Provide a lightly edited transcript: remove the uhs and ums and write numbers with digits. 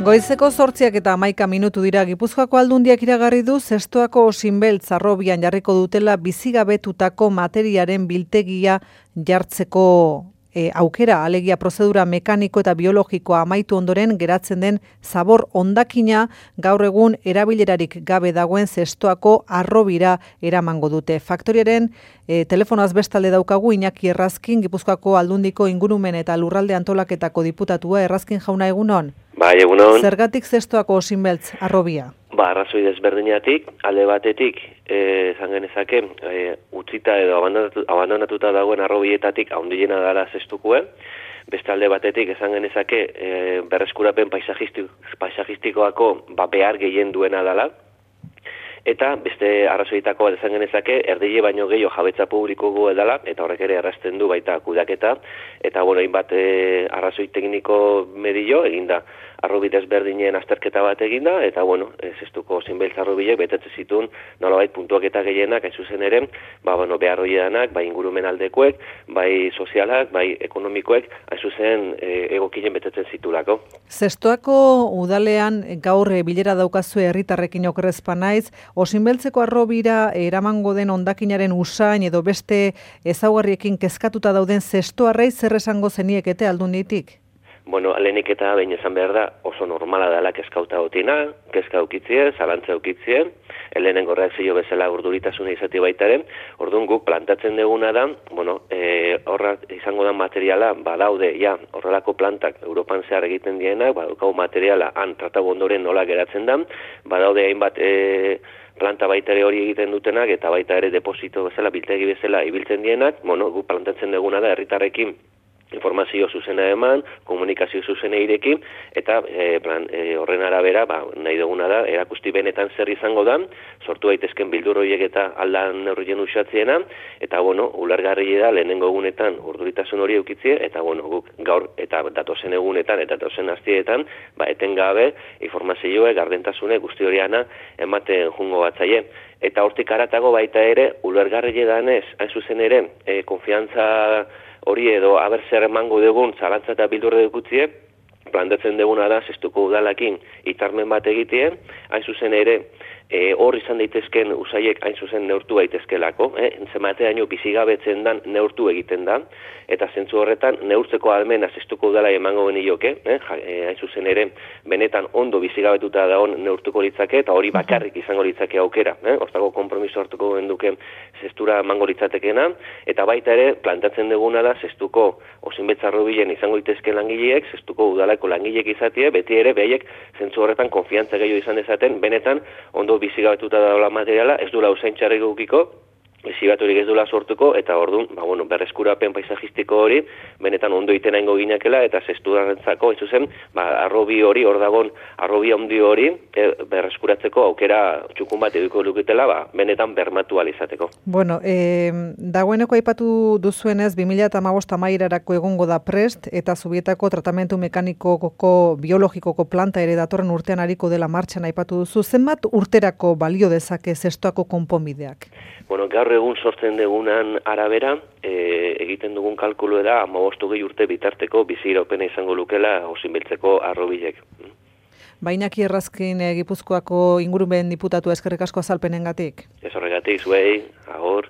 Goizeko 8:11 dira. Gipuzkoako Aldundiak iragarri du Zestoako Osinbeltz harrobian jarriko dutela bizigabetutako materiaren biltegia jartzeko aukera, alegia prozedura mekaniko eta biologikoa amaitu ondoren geratzen den zabor hondakina gaur egun erabilerarik gabe dagoen Zestoako harrobira eramango dute. Faktoriaren telefonoaz bestalde daukagu Iñaki Errazkin, Gipuzkoako Aldundiko ingurumen eta lurralde antolaketako diputatua. Errazkin jauna, egunon? Bai, egunon. Zergatik Zestoako Osinbeltz harrobia? Arrazoi desberdinatik, alde batetik, esan genezake, utzita edo abandonatuta dagoen harrobietatik handiena dela Zestokoa. Beste alde batetik, esan genezake, berreskurapen paisajistikoako behar gehien duena dela. Eta beste arrazoitako bat esan genezake, erdile baino gehiago jabetza publiko dela, eta horrek ere errazten du baita kudeaketa, eta hainbat arrazoi tekniko medio eginda, harrobi desberdinen azterketa bat eginda, eta Zestoako Osinbeltz harrobiek betetzen zituen nolabait puntuak eta gehienak, hain zuzen ere, behar horiedanak, bai ingurumen aldekoek, bai sozialak, bai ekonomikoek, hain zuzen egokien betetzen zitulako. Zestoako udalean gaur bilera daukazue herritarrekin okerrezpa naiz, Osinbeltzeko harrobira eramango den hondakinaren usain edo beste ezaugarriekin kezkatuta dauden zestoarrei zer esango zeniekete Aldunditik? Lehenik eta behin esan behar da, oso normala dela kezkauta gotina, kezka aukitzie, zalantza aukitzie, lehenengo reakzio bezala urduritasuna izati baitaren, orduan guk plantatzen duguna da, horra izango da materiala, badaude, horrelako plantak Europan zehar egiten dienak, badaukagu materiala, han tratago ondoren nola geratzen da, badaude hainbat planta baita ere hori egiten dutenak, eta baita ere deposito bezala, biltegi bezala ibiltzen dienak, guk plantatzen duguna da, herritarrekin informazio zuzena eman, komunikazio zuzena irekin, eta horren arabera, nahi duguna da, erakusti benetan zer izango da, sortu daitezken bildur horiek eta aldan neurrien usatziena, eta ulergarri da lehenengo egunetan urduritasun hori eukitzie, eta guk gaur eta datozen egunetan eta datozen aztietan, etengabe informazioa, gardentasune guzti horiana ematen jungo batzaie. Eta hortik aratago baita ere, ulergarri danez, hain zuzen ere, konfiantza hori edo aber zer emango dugun zalantza eta bildurre dukutzie, plantatzen duguna da Zestoako udalakin hitzarmen bat egitea, hain zuzen ere, hor izan daitezken usaiek hain zuzen neurtu daitezkelako, zenbateaino bizigabetzen dan neurtu egiten da, eta zentzu horretan neurtzeko almena Zestoako udala emango genioke, hain zuzen ere, benetan ondo bizigabetuta dagoen neurtuko litzake, eta hori bakarrik izango litzake aukera, hortako konpromiso hartuko genduke Zestura emango litzatekena, eta baita ere, plantatzen duguna da Zestoako Osinbeltz harrobilen izango litezken langileek, Zestoako udalako langileek izatie, beti ere behaiek zentzu horretan konfiantza gehiago izan dezaten, benetan ondo bizigabetuta daula materiala, ez dula usain txarrik gukiko, bizigaturik ez dula sortuko, eta orduan, berreskurapen paisajistiko hori, benetan ondo iten aingo ginakela, eta Zestoarentzako, ez zuzen, harrobi hori, hor dagon, harrobi handi hori, berreskuratzeko aukera txukun bat eduko luketela, benetan bermatu alizateko. Dagoeneko aipatu duzuenez, 2015 amaierarako egongo da prest, eta Zubietako tratamentu mekanikoko biologikoko planta ere datorren urtean ariko dela martxan aipatu duzu. Zenbat urterako balio dezake Zestoako konponbideak? Gaur egun sortzen dugunan arabera, egiten dugun kalkulu da 15 urte bitarteko biziraupena izango lukela Osinbeltzeko harrobilek. Iñaki Errazkin, Gipuzkoako ingurumen diputatua, eskerrik asko azalpenengatik. Ez horregatik, zuei, agor.